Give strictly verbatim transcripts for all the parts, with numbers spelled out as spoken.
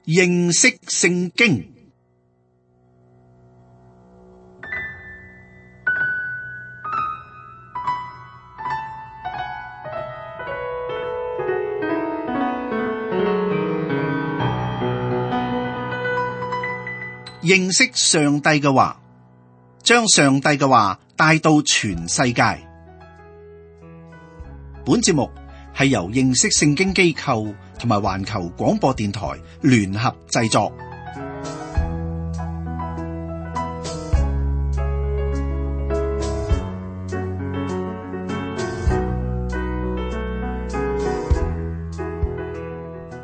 認識聖經。認識上帝嘅話，將上帝嘅話帶到全世界。本節目係由認識聖經機構同埋環球廣播電台聯合製作。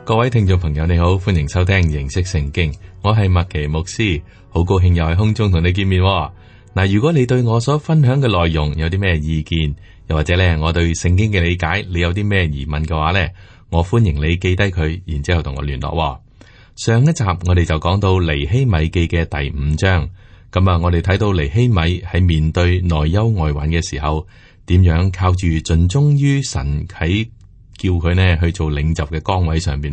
各位聽眾朋友，你好，歡迎收聽認識聖經，我係麥奇牧師，好高興又喺空中同你見面。嗱，如果你對我所分享嘅內容有啲咩意見，又或者咧我對聖經嘅理解，你有啲咩疑問嘅話咧，我歡迎你記低佢，然之後同我聯絡。上一集我哋就講到尼希米記嘅第五章，咁啊，我哋睇到尼希米喺面對內憂外患嘅時候，點樣靠住盡忠於神喺叫佢呢去做領袖嘅崗位上邊。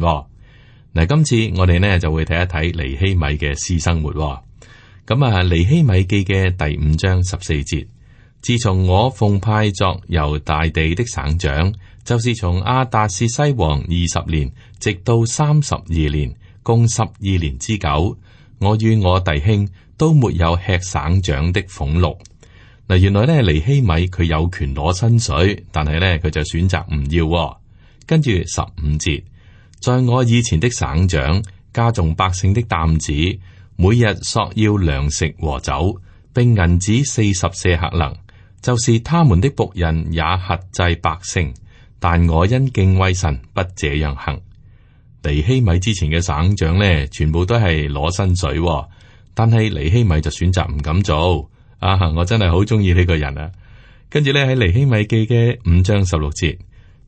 嗱，今次我哋呢就會睇一睇尼希米嘅私生活。咁啊，尼希米記嘅第五章十四節，自從我奉派作猶大地的省長，就是從亞達薛西王二十年，直到三十二年，共十二年之久，我與我弟兄都沒有吃省長的俸祿。嗱，原來呢尼希米佢有權攞薪水，但係呢佢就選擇唔要。跟住十五節，在我以前的省長加重百姓的擔子，每日索要糧食和酒，並銀子四十舍客勒，就是他們的僕人也轄制百姓，但我因敬畏神，不這樣行。尼希米之前嘅省長呢，全部都係攞薪水，但係尼希米就選擇唔敢做。啊，我真係好中意呢個人啊！跟住咧喺尼希米記嘅五章十六節。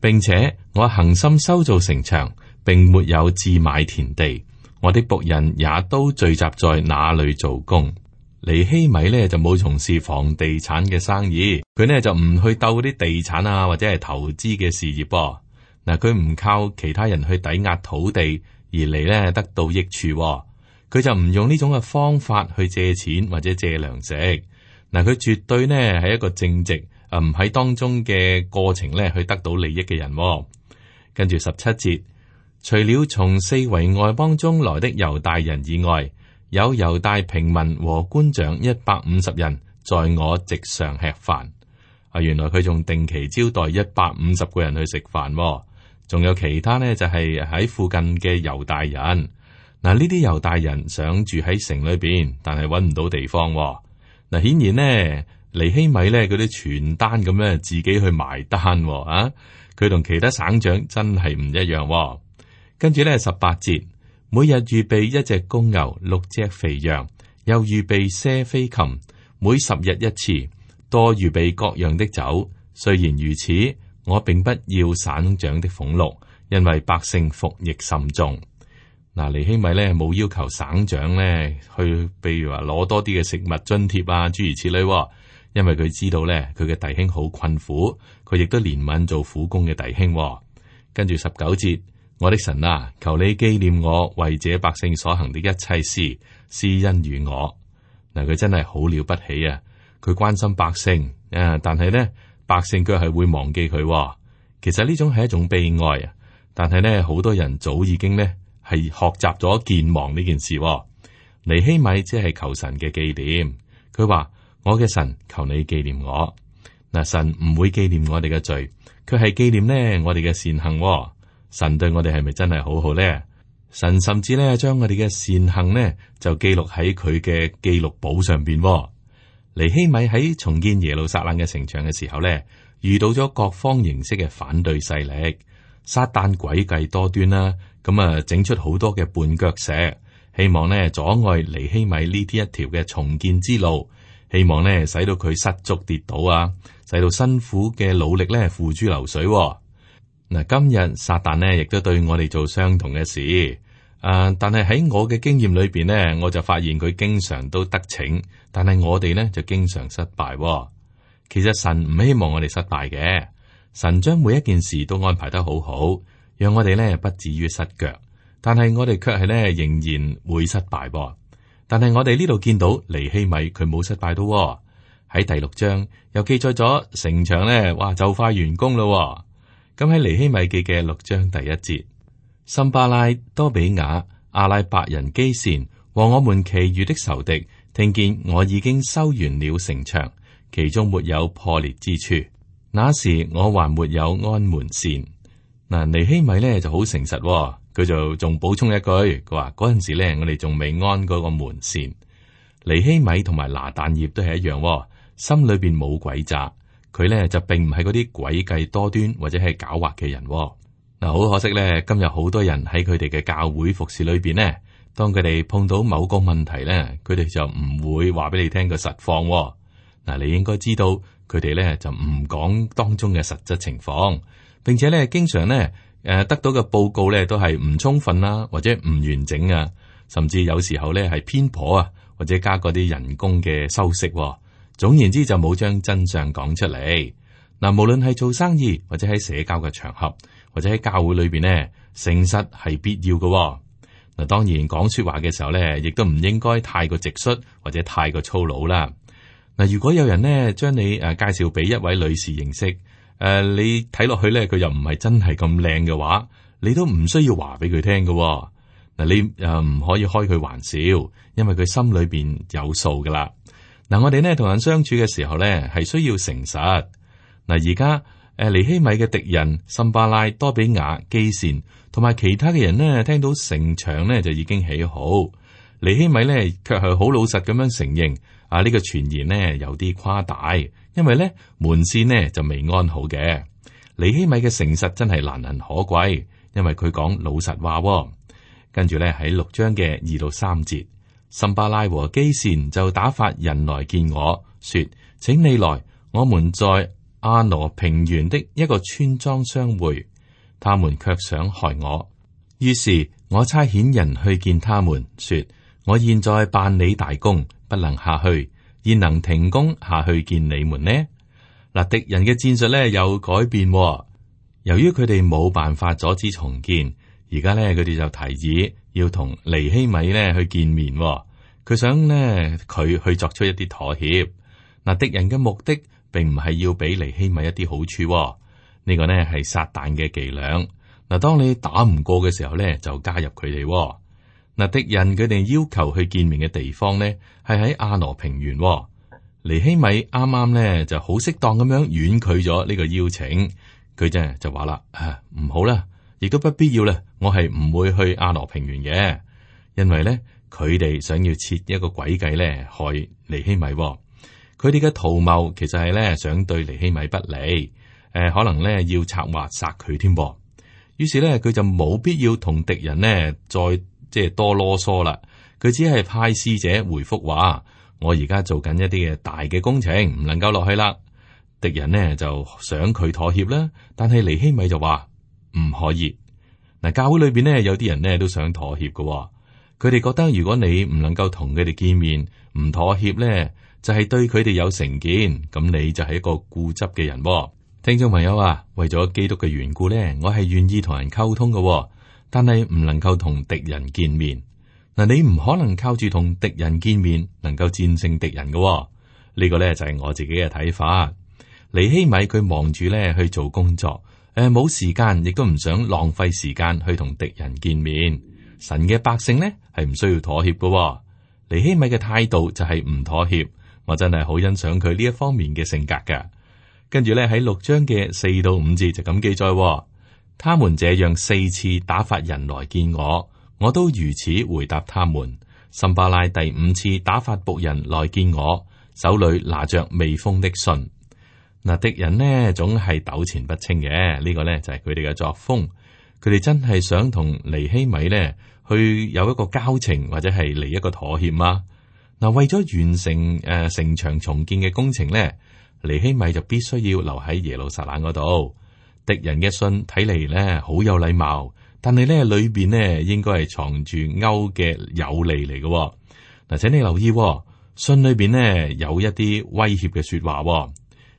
並且我恆心修造城牆，並沒有置買田地，我的僕人也都聚集在那裏做工。尼希米呢就冇從事房地產嘅生意，佢呢就唔去鬥啲地產啊或者係投資嘅事業噃。嗱，佢唔靠其他人去抵押土地而嚟呢得到益處，佢就唔用呢種嘅方法去借錢或者借糧食。嗱，佢絕對呢係一個正直。誒，唔喺當中嘅過程咧，去得到利益嘅人。跟住十七節，除了從四圍外邦中來的猶大人以外，有猶大平民和官長一百五十人，在我席上吃飯。啊，原來佢仲定期招待一百五十個人去食飯，仲有其他呢，就係喺附近嘅猶大人。嗱，呢啲猶大人想住喺城裏邊，但係搵唔到地方。嗱，顯然呢。尼希米咧，嗰啲傳單咁樣自己去埋單啊！佢同其他省長真係唔一樣。跟住咧十八節，每日預備一隻公牛、六隻肥羊，又預備些飛禽，每十日一次，多預備各樣的酒。雖然如此，我並不要省長的俸祿，因為百姓服役甚重。嗱，尼希米咧冇要求省長咧去，譬如話攞多啲嘅食物津貼啊，諸如此類。因為佢知道咧，佢嘅弟兄好困苦，佢亦都憐憫做苦工嘅弟兄。跟住十九節，我的神啊，求你紀念我為這百姓所行的一切事，施恩於我。嗱，佢真係好了不起啊！佢關心百姓啊，但係呢，百姓卻係會忘記佢。其實呢種係一種悲哀啊！但係呢，好多人早已經呢係學習咗健忘呢件事。尼希米即係求神嘅紀念，佢話。我嘅神，求你紀念我。嗱，神唔會紀念我哋嘅罪，佢係紀念呢我哋嘅善行。神對我哋係咪真係好好呢？神甚至咧將我哋嘅善行呢就記錄喺佢嘅記錄簿上邊。尼希米喺重建耶路撒冷嘅城牆嘅時候呢，遇到咗各方形式嘅反對勢力，撒旦詭計多端啦，咁啊整出好多嘅絆腳石，希望呢阻礙尼希米呢啲一條嘅重建之路。希望咧，使到佢失足跌倒啊，使到辛苦嘅努力咧付諸流水。嗱，今日撒旦呢亦都對我哋做相同嘅事。誒、呃，但係喺我嘅經驗裏邊呢，我就發現佢經常都得逞，但係我哋呢就經常失敗。其實神唔希望我哋失敗嘅，神將每一件事都安排得好好，讓我哋呢不至於失腳。但係我哋卻係咧仍然會失敗噃。但係我哋呢度見到尼希米佢冇失敗到喎。喺第六章又記載咗城牆咧，哇就快完工咯。咁喺尼希米記嘅六章第一節，參巴拉、多比雅、阿拉伯人基善和我們其餘的仇敵，聽見我已經修完了城牆，其中沒有破裂之處，那時我還沒有安門扇。嗱，尼希米咧就好誠實喎，佢就仲補充一句，佢話嗰陣時咧我哋仲未安嗰個門扇。尼希米同埋拿但業都係一樣喎，心裏邊冇詭詐。佢咧就並唔係嗰啲詭計多端或者係狡猾嘅人喎。嗱，好可惜咧，今日好多人喺佢哋嘅教會服侍裏邊呢，當佢哋碰到某個問題咧，佢哋就唔會話俾你聽個實況喎。嗱，你應該知道佢哋咧就唔講當中嘅實質情況，並且咧經常咧誒得到嘅報告咧都係唔充分啦，或者唔完整啊，甚至有時候咧係偏頗啊，或者加嗰啲人工嘅修飾喎。總言之就冇將真相講出嚟。嗱，無論係做生意或者喺社交嘅場合，或者喺教會裏邊呢，誠實係必要嘅。嗱，當然講說話嘅時候咧，亦都唔應該太過直率或者太過粗魯啦。嗱，如果有人呢將你誒介紹俾一位女士認識，誒、呃、你睇落去咧佢又唔係真係咁靚嘅話，你都唔需要話俾佢聽嘅。嗱，你誒唔可以開佢玩笑，因為佢心裏邊有數噶啦。嗱，我哋呢同人相處嘅時候咧，係需要誠實。嗱，而家誒尼希米嘅敵人參巴拉、多比雅、基善同埋其他嘅人呢，聽到城牆呢就已經起好，尼希米呢卻係好老實咁樣承認啊，呢、這個傳言呢有啲誇大，因為呢門扇呢就未安好嘅。尼希米嘅誠實真係難能可貴，因為佢講老實話、哦。跟住咧喺六章嘅二到三節，參巴拉和基善就打發人來見我說，請你來，我們在亞羅平原的一個村莊相會。他們卻想害我，於是我差遣人去見他們，說，我現在辦理大工，不能下去，焉能停工下去見你們呢？嗱，敵人嘅戰術咧有改變、哦，由於佢哋冇辦法阻止重建。而家咧，佢哋就提議要同尼希米咧去見面、哦，佢想咧佢去作出一啲妥協。嗱，敵人嘅目的並唔係要俾尼希米一啲好處、哦，呢、這個呢係撒旦嘅伎倆。嗱，當你打唔過嘅時候咧，就加入佢哋、哦。嗱，敵人佢哋要求去見面嘅地方咧，係喺亞羅平原、哦。尼希米啱啱咧就好適當咁樣婉拒咗呢個邀請，佢就就話啦，啊唔好啦。亦都不必要啦，我係唔會去亞羅平原嘅，因為咧佢哋想要設一個詭計咧害尼希米、哦。佢哋嘅圖謀其實係咧想對尼希米不利，誒、呃、可能咧要策劃殺佢添噃。於是咧佢就冇必要同敵人呢再即係多囉嗦啦。佢只係派使者回覆話：我而家做緊一啲嘅大嘅工程，唔能夠落去啦。敵人呢就想佢妥協啦，但係尼希米就話。唔可以嗱，教會裏邊呢，有啲人呢都想妥協嘅、哦，佢哋覺得如果你唔能夠同佢哋見面，唔妥協呢，就係、是、對佢哋有成見，咁你就係一個固執嘅人、哦。聽眾朋友啊，為咗基督嘅緣故呢，我係願意同人溝通嘅、哦，但係唔能夠同敵人見面。嗱，你唔可能靠住同敵人見面，能夠戰勝敵人嘅、哦。呢、這個呢就係、是、我自己嘅睇法。尼希米佢忙住呢去做工作。誒，冇時間，亦都唔想浪費時間去同敵人見面。神嘅百姓呢，係唔需要妥協嘅、哦。尼希米嘅態度就係唔妥協，我真係好欣賞佢呢一方面嘅性格噶。跟住咧喺六章嘅四到五節就咁記載、哦，他們這樣四次打發人來見我，我都如此回答他們。參巴拉第五次打發僕人來見我，手裏拿着未封的信。嗱，敵人呢總係糾纏不清嘅，呢、這個呢就係佢哋嘅作風。佢哋真係想同尼希米呢去有一個交情，或者係嚟一個妥協嘛。嗱，為咗完成誒、呃、城牆重建嘅工程呢，尼希米就必須要留喺耶路撒冷嗰度。敵人嘅信睇嚟呢好有禮貌，但係呢裏邊呢應該係藏住勾嘅有利嚟嘅。嗱，請你留意、哦，信裏邊呢有一啲威脅嘅說話、哦。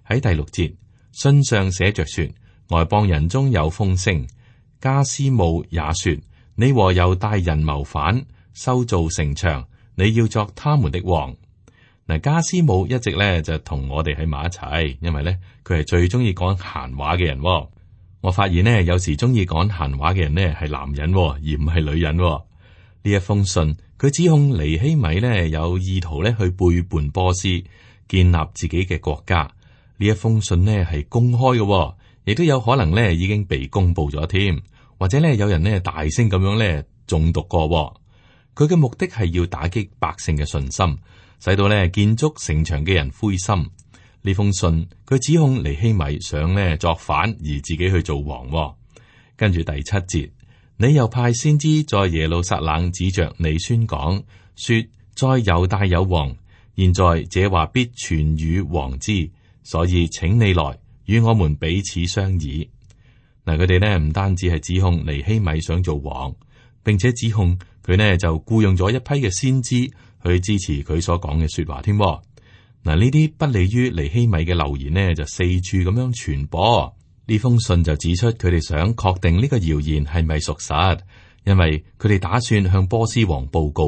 喺第六節，信上寫着說，外邦人中有風聲，加斯姆也說，你和猶大人謀反，修造城牆，你要作他們的王。嗱，加斯姆一直咧就同我哋喺埋一齊，因為咧佢係最中意講閒話嘅人。我發現呢，有時中意講閒話嘅人呢係男人，而唔係女人。呢一封信，佢指控尼希米呢有意圖咧去背叛波斯，建立自己嘅國家。呢一封信呢係公開嘅，亦都有可能咧已經被公布咗添，或者咧有人呢大聲咁樣咧誦讀過。佢嘅目的係要打擊百姓嘅信心，使到咧建築城牆嘅人灰心。呢封信佢指控尼希米想咧作反而自己去做王。跟住第七節，你又派先知在耶路撒冷指着你宣講，說在猶大有王，現在這話必傳與王知，所以請你來與我們彼此商議。嗱，佢哋呢唔單止係指控尼希米想做王，並且指控佢呢就僱傭咗一批嘅先知去支持佢所講嘅說話添。嗱，呢啲不利於尼希米嘅流言呢，就四處咁樣傳播。呢封信就指出佢哋想確定呢個謠言係咪屬實，因為佢哋打算向波斯王報告。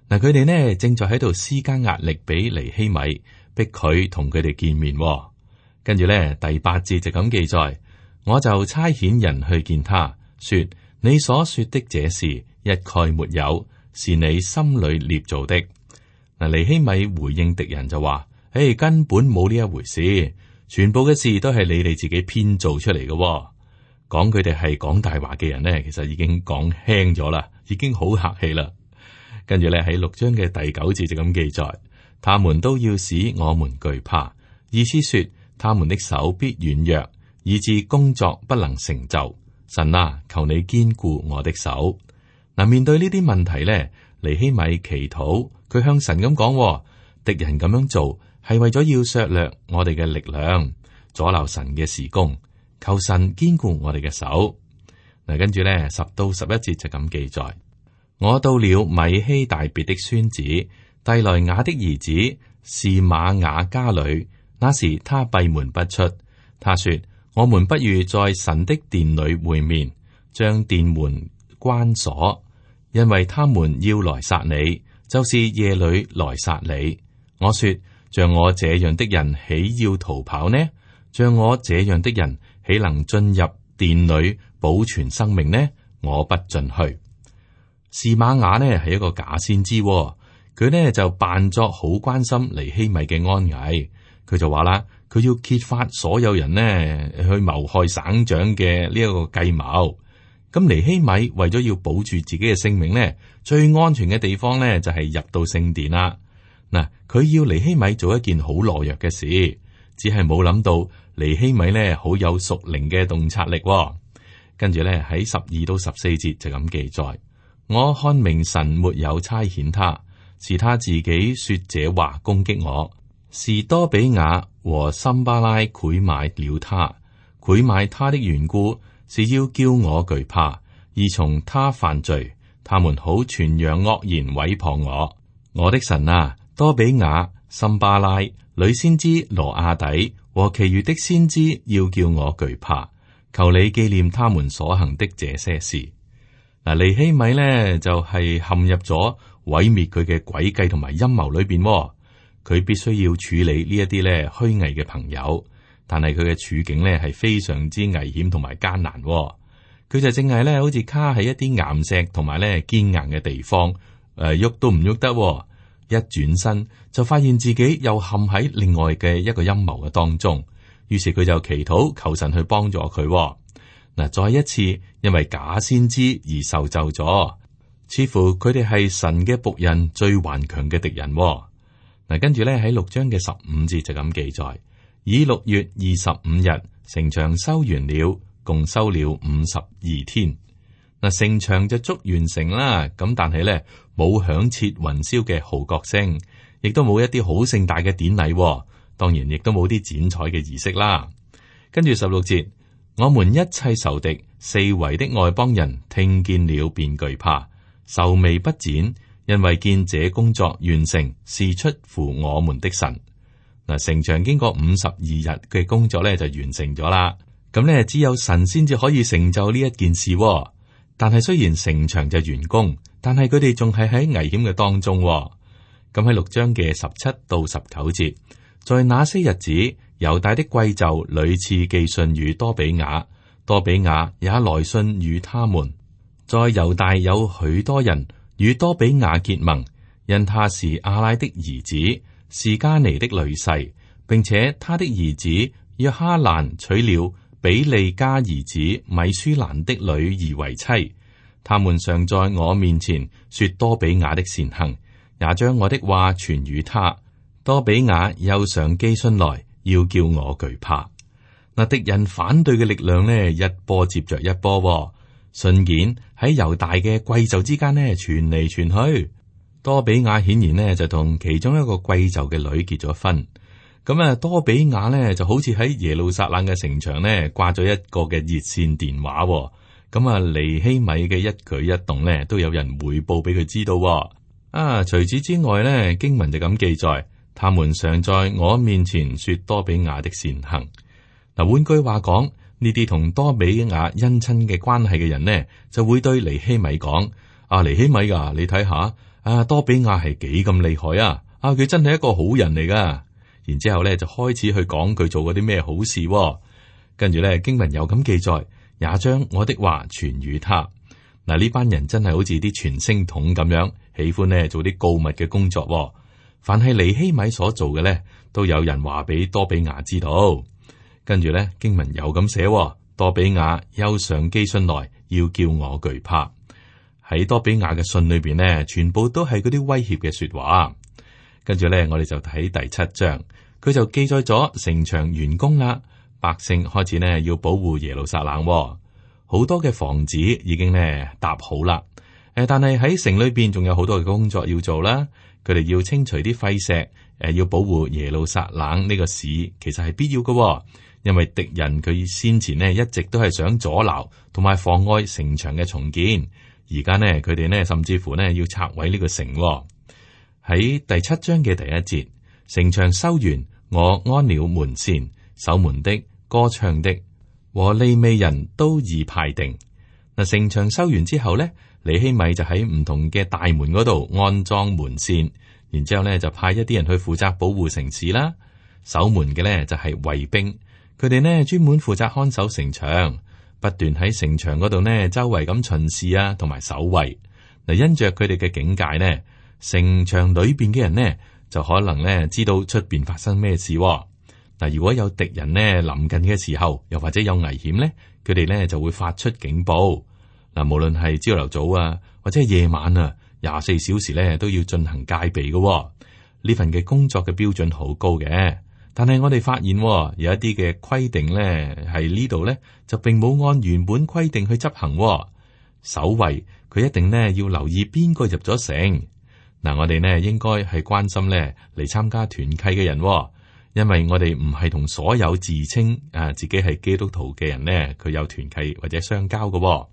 嗱，佢哋呢正在喺度施加壓力俾尼希米，逼佢同佢哋見面。跟住呢，第八節就咁記載，我就差遣人去見他，說你所說的這事一概沒有，是你心裏捏造的。嗱，尼希米回應敵人就話：誒，根本冇呢一回事，全部嘅事都係你哋自己編造出嚟嘅。講佢哋係講大話嘅人呢，其實已經講輕咗啦，已經好客氣啦。跟住咧喺六章嘅第九節就咁記載，他們都要使我們懼怕，意思說他們的手必軟弱，以致工作不能成就。神啊，求你堅固我的手。嗱，面對呢啲問題咧，尼希米祈禱。佢向神咁講，敵人咁樣做係為咗要削弱我哋嘅力量，阻撓神嘅事工。求神堅固我哋嘅手。嗱，跟住咧十到十一節就咁記載：我到了米希大別的孫子蒂萊雅的兒子示瑪雅家裏，那時他閉門不出。他說：我們不如在神的殿裏會面，將殿門關鎖，因為他們要來殺你。就是夜裏來殺你。我說，像我這樣的人豈要逃跑呢？像我這樣的人豈能進入殿裏保存生命呢？我不進去。示瑪雅呢係一個假先知，佢呢就扮作好關心尼希米嘅安危。佢就話啦，佢要揭發所有人呢去謀害省長嘅呢一個計謀。咁尼希米為咗要保住自己嘅性命呢，最安全嘅地方呢就係入到聖殿啦。嗱，佢要尼希米做一件好懦弱嘅事，只係冇諗到尼希米呢好有屬靈嘅洞察力。跟住呢喺十二到十四節就咁記載：我看明神沒有差遣他，是他自己說這話攻擊我。是多比雅和參巴拉賄買了他，賄買他的緣故，是要叫我懼怕，而從他犯罪，他們好傳揚惡言毀謗我。我的神啊，多比雅、參巴拉、女先知羅亞底和其餘的先知，要叫我懼怕。求你紀念他們所行的這些事。嗱，尼希米呢就係、是、陷入咗毀滅佢嘅詭計同埋陰謀裏邊，佢必須要處理呢一啲咧虛偽嘅朋友。但係佢嘅處境咧係非常之危險同埋艱難，佢就淨係咧好似卡喺一啲岩石同埋咧堅硬嘅地方，誒、呃、喐都唔喐得，一轉身就發現自己又陷喺另外嘅一個陰謀嘅當中，於是佢就祈禱求神去幫助佢。嗱，再一次因為假先知而受咒咗，似乎佢哋係神嘅僕人最頑強嘅敵人。嗱，跟住咧喺六章嘅十五節就咁記載。以六月二十五日，城牆修完了，共修了五十二天。嗱，城牆就足完成啦。咁但係咧，冇響徹雲霄嘅號角聲，亦都冇一啲好盛大嘅典禮。當然，亦都冇啲剪彩嘅儀式啦。跟住十六節，我們一切仇敵四圍的外邦人聽見了便懼怕，愁眉不展，因為見這工作完成是出乎我們的神。嗱，城牆經過五十二日嘅工作咧就完成咗啦。咁咧只有神先至可以成就呢一件事。但係雖然城牆就完工，但係佢哋仲係喺危險嘅當中。咁喺六章嘅十七到十九節，在那些日子，猶大的貴胄屢次寄信與多比亞，多比亞也來信與他們。在猶大有許多人與多比亞結盟，因他是亞拉的兒子，是加尼的女婿，並且他的兒子約哈蘭娶了比利家兒子米舒蘭的女兒為妻。他們常在我面前說多比亞的善行，也將我的話傳與他。多比亞又常寄信來，要叫我懼怕。嗱，敵人反對嘅力量呢，一波接着一波。信件喺猶大嘅貴胄之間呢傳嚟傳去。多比亞顯然呢就同其中一個貴胄嘅女結咗婚。咁啊，多比亞呢就好似喺耶路撒冷嘅城牆呢掛咗一個嘅熱線電話。咁啊，尼希米嘅一舉一動呢都有人匯報俾佢知道。啊，除此之外呢，經文就咁記載，他們常在我面前說多比亞的善行。嗱，換句話講，呢啲同多比亞姻親嘅關係嘅人呢，就會對尼希米講：啊，尼希米啊，你睇下，啊，多比亞係幾咁厲害啊！啊，佢真係一個好人嚟噶。然之後咧，就開始去講佢做過啲咩好事。跟住咧，經文又咁記載，也將我的話傳與他。嗱，呢班人真係好似啲傳聲筒咁樣，喜歡呢做啲告密嘅工作。凡係尼希米所做嘅咧，都有人話俾多比亞知道。跟住咧，經文又咁寫，多比亞又常寄信來，要叫我懼怕。喺多比亞嘅信裏邊呢，全部都係嗰啲威脅嘅說話。跟住咧，我哋就睇第七章，佢就記載咗城牆完工啦，百姓開始呢要保護耶路撒冷，好多嘅房子已經呢搭好啦。誒，但係喺城裏邊仲有好多嘅工作要做啦。佢哋要清除啲廢石，誒，要保護耶路撒冷呢個市，其實係必要嘅，因為敵人佢先前呢一直都係想阻撓同埋妨礙城牆嘅重建，而家呢佢哋呢甚至乎呢要拆毀呢個城。喺第七章嘅第一節，城牆修完，我安了門扇、守門的、歌唱的和利未人都已派定。嗱，城牆修完之後呢，尼希米就喺唔同嘅大門嗰度安裝門扇，然之後咧就派一啲人去負責保護城市啦。守門嘅呢就係衛兵，佢哋呢專門負責看守城牆，不斷喺城牆嗰度呢周圍咁巡視啊，同埋守衛。嗱，因着佢哋嘅警戒呢，城牆裏邊嘅人呢就可能呢知道出邊發生咩事。嗱，如果有敵人呢臨近嘅時候，又或者有危險呢，佢哋呢就會發出警報。嗱，無論係朝頭早啊，或者係夜晚啊，廿四小時咧都要進行戒備嘅。呢份嘅工作嘅標準好高嘅，但係我哋發現有一啲嘅規定咧，係呢度咧就並冇按原本規定去執行。守衛佢一定呢要留意邊個入咗城。嗱，我哋呢應該係關心咧嚟參加團契嘅人，因為我哋唔係同所有自稱啊自己係基督徒嘅人呢，佢有團契或者相交嘅。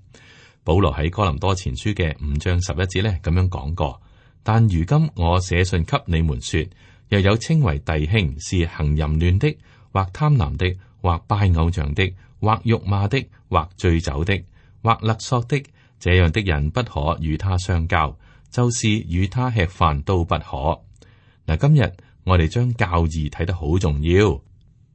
保羅喺哥林多前書嘅五章十一節咧咁樣講過，但如今我寫信給你們說，又有稱為弟兄是行淫亂的，或貪婪的，或拜偶像的，或辱罵的，或醉酒的，或勒索的，這樣的人不可與他相交，就是與他吃飯都不可。嗱，今日我哋將教義睇得好重要。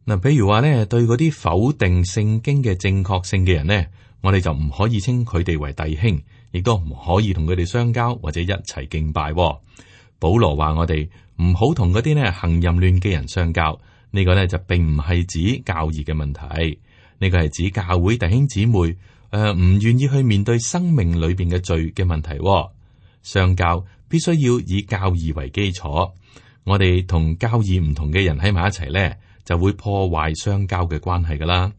嗱，譬如話咧，對嗰啲否定聖經嘅正確性嘅人呢，我哋就唔可以稱佢哋為弟兄，亦都唔可以同佢哋相交或者一齊敬拜。保羅話我哋唔好同嗰啲呢行淫亂嘅人相交，呢個呢就並唔係指教義嘅問題，呢個係指教會弟兄姊妹誒唔願意去面對生命裏邊嘅罪嘅問題。相交必須要以教義為基礎，我哋同教義唔同嘅人喺埋一齊呢，就會破壞相交嘅關係噶啦。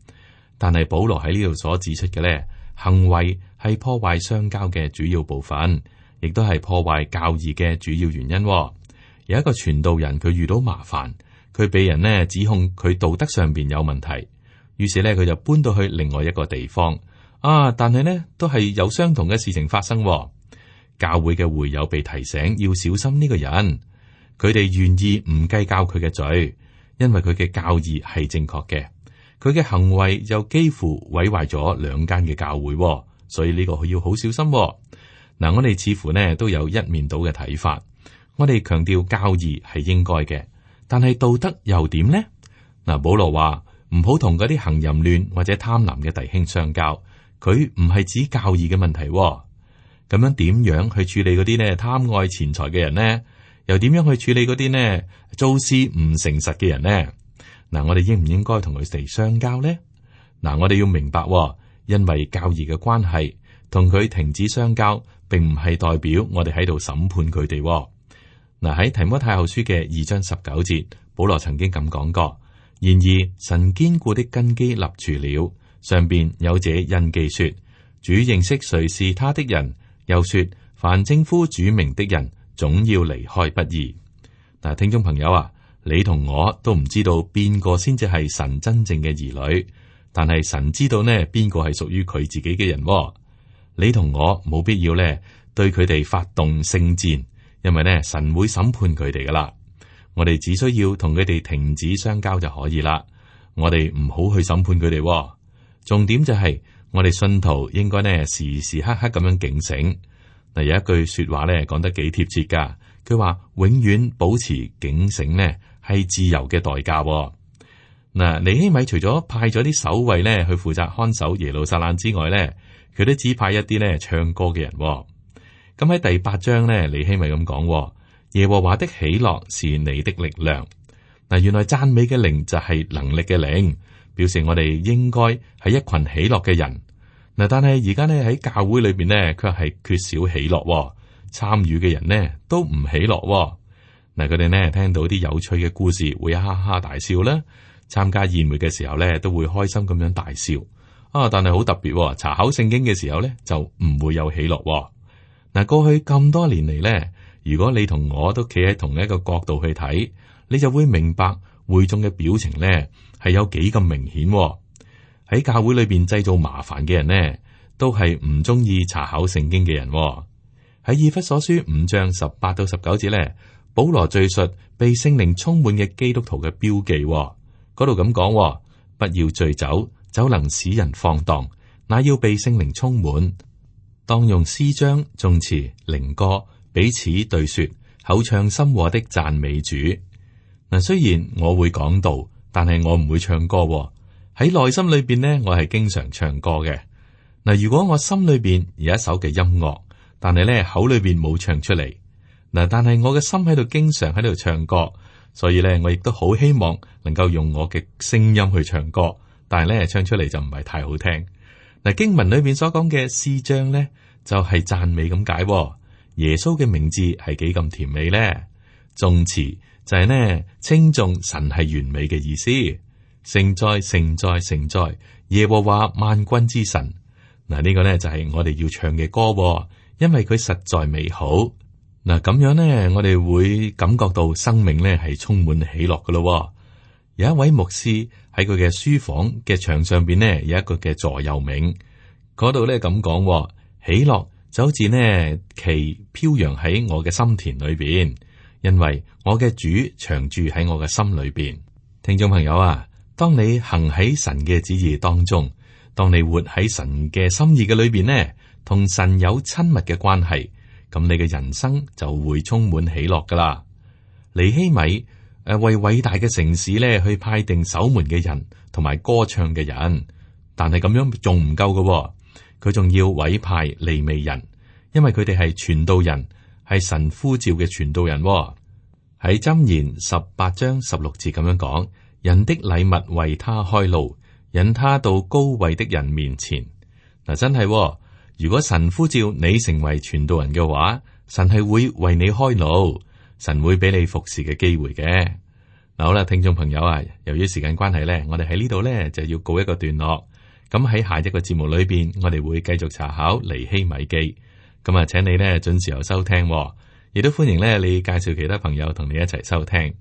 但係保羅喺呢度所指出嘅咧，行為係破壞相交嘅主要部分，亦都係破壞教義嘅主要原因。有一個傳道人，佢遇到麻煩，佢被人呢指控佢道德上邊有問題，於是咧佢就搬到去另外一個地方啊。但係呢都係有相同嘅事情發生。教會嘅會友被提醒要小心呢個人，佢哋願意唔計較佢嘅罪，因為佢嘅教義係正確嘅。佢嘅行為又幾乎毀壞咗兩間嘅教會，所以呢個要好小心喎。嗱，我哋似乎呢都有一面倒嘅睇法。我哋強調教義係應該嘅，但係道德又點呢？嗱，保羅話唔好同嗰啲行淫亂或者貪婪嘅弟兄相交，佢唔係指教義嘅問題喎。咁樣點樣去處理嗰啲呢貪愛錢財嘅人呢？又點樣去處理嗰啲呢做事唔誠實嘅人呢？嗱，我哋應唔應該同佢哋相交呢？嗱，我哋要明白喎，因為教義嘅關係，同佢停止相交，並唔係代表我哋喺度審判佢哋喎。嗱，喺提摩太後書嘅二章十九節，保羅曾經咁講過：然而神堅固的根基立住了，上邊有這印記說，主認識誰是他的人，又說凡稱呼主名的人，總要離開不義。嗱，聽眾朋友啊，你同我都唔知道邊個先至係神真正嘅兒女，但係神知道呢邊個係屬於佢自己嘅人喎。你同我冇必要呢對佢哋發動聖戰，因為呢神會審判佢哋噶啦。我哋只需要同佢哋停止相交就可以啦。我哋唔好去審判佢哋喎。重點就係我哋信徒應該呢時時刻刻咁樣警醒。嗱，有一句說話呢講得幾貼切噶，佢話永遠保持警醒呢係自由嘅代價喎。嗱，尼希米除咗派咗啲守衛呢去負責看守耶路撒冷之外呢，佢都只派一啲呢唱歌嘅人喎。咁喺第八章呢，尼希米咁講：耶和華的喜樂是你的力量。嗱，原來讚美嘅靈就係能力嘅靈，表示我哋應該係一群喜樂嘅人。嗱，但係而家呢喺教會裏邊呢，卻係缺少喜樂喎，參與嘅人呢都唔喜樂喎。嗱，佢哋呢聽到啲有趣嘅故事會哈哈大笑啦，參加宴會嘅時候呢都會開心咁樣大笑啊。但係好特別喎，查考聖經嘅時候呢就唔會有喜樂喎。嗱，過去咁多年嚟呢，如果你同我都企喺同一個角度去睇，你就會明白會眾嘅表情呢係有幾咁明顯喎。喺教會裏邊製造麻煩嘅人呢，都係唔中意查考聖經嘅人喎。喺以弗所書五章十八到十九節呢，保羅敘述被聖靈充滿嘅基督徒嘅標記喎。嗰度咁講：不要醉酒，酒能使人放蕩，乃要被聖靈充滿。當用詩章、頌詞、靈歌彼此對說，口唱心和的讚美主。嗱，雖然我會講道，但係我唔會唱歌喎。喺內心裏邊呢，我係經常唱歌嘅。嗱，如果我心裏邊有一首嘅音樂，但係咧口裏邊冇唱出嚟，嗱，但係我嘅心喺度經常喺度唱歌，所以咧我亦都好希望能夠用我嘅聲音去唱歌，但係咧唱出嚟就唔係太好聽。嗱，經文裏邊所講嘅詩章咧，就係讚美咁解。耶穌嘅名字係幾咁甜美咧？頌詞就係呢稱頌神係完美嘅意思。聖哉聖哉聖哉，耶和華萬軍之神。嗱，呢個呢就係我哋要唱嘅歌，因為佢實在美好。嗱，咁樣呢，我哋會感覺到生命呢係充滿喜樂噶咯。有一位牧師喺佢嘅書房嘅牆上邊呢，有一個嘅座右銘，嗰度呢咁講：喜樂就好似呢旗飄揚喺我嘅心田裏邊，因為我嘅主常住喺我嘅心裏邊。聽眾朋友啊，當你行喺神嘅旨意當中，當你活喺神嘅心意嘅裏邊呢，同神有親密嘅關係，咁你嘅人生就會充滿喜樂噶啦。尼希米誒、呃、為偉大嘅城市咧去派定守門嘅人同埋歌唱嘅人，但係咁樣仲唔夠嘅，佢仲要委派利未人，因為佢哋係傳道人，係神呼召嘅傳道人。喺箴言十八章十六節咁樣講。人的禮物為他開路，引他到高位的人面前。嗱，真係、哦，如果神呼召你成為傳道人嘅話，神係會為你開路，神會俾你服侍嘅機會嘅。嗱，好啦，聽眾朋友啊，由於時間關係咧，我哋喺呢度咧就要告一個段落。咁喺下一個節目裏邊，我哋會繼續查考尼希米記。咁啊，請你咧準時有收聽、哦，亦都歡迎咧你介紹其他朋友同你一齊收聽。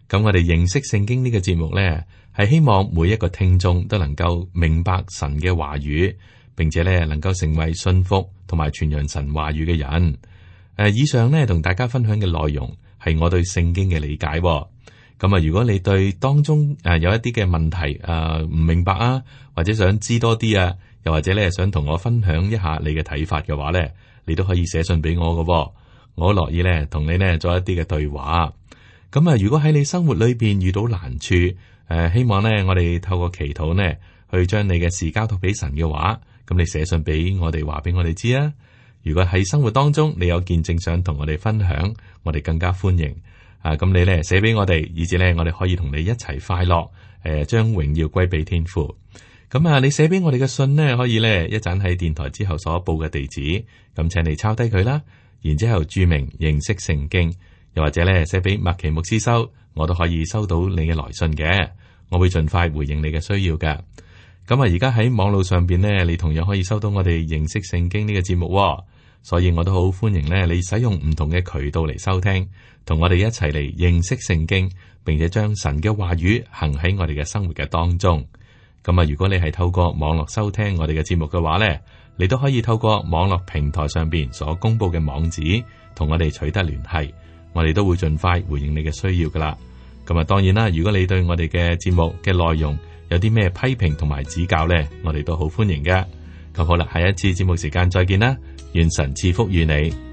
咁我哋認識聖經呢個節目呢，係希望每一個聽眾都能夠明白神嘅話語，並且呢能夠成為信服同埋傳揚神話語嘅人。誒，以上呢同大家分享嘅內容係我對聖經嘅理解。咁啊，如果你對當中誒有一啲嘅問題誒唔明白啊，或者想知多啲啊，又或者咧想同我分享一下你嘅睇法嘅話咧，你都可以寫信俾我嘅，我樂意咧同你咧做一啲嘅對話。咁啊，如果喺你生活裏邊遇到難處，誒、呃，希望咧我哋透過祈禱呢，去將你嘅事交託俾神嘅話，咁你寫信俾我哋話俾我哋知啊。如果喺生活當中你有見證想同我哋分享，我哋更加歡迎啊。咁你咧寫俾我哋，以至咧我哋可以同你一齊快樂，誒、呃，將榮耀歸俾天父。咁啊，你寫俾我哋嘅信呢，可以咧一陣喺電台之後所報嘅地址，咁請你抄低佢啦，然之後注明認識聖經。又或者咧寫俾麥奇牧師收，我都可以收到你嘅來信嘅，我會盡快回應你嘅需要嘅。咁啊，而家喺網絡上邊呢，你同樣可以收到我哋認識聖經呢個節目，所以我都好歡迎咧你使用唔同嘅渠道嚟收聽，同我哋一齊嚟認識聖經，並且將神嘅話語行喺我哋嘅生活嘅當中。咁啊，如果你係透過網絡收聽我哋嘅節目嘅話呢，你都可以透過網絡平台上邊所公布嘅網址，同我哋取得聯繫。我哋都會盡快回應你嘅需要噶啦。咁啊，當然啦，如果你對我哋嘅節目嘅內容有啲咩批評同埋指教呢，我哋都好歡迎嘅。咁好啦，下一次節目時間再見啦，願神賜福與你。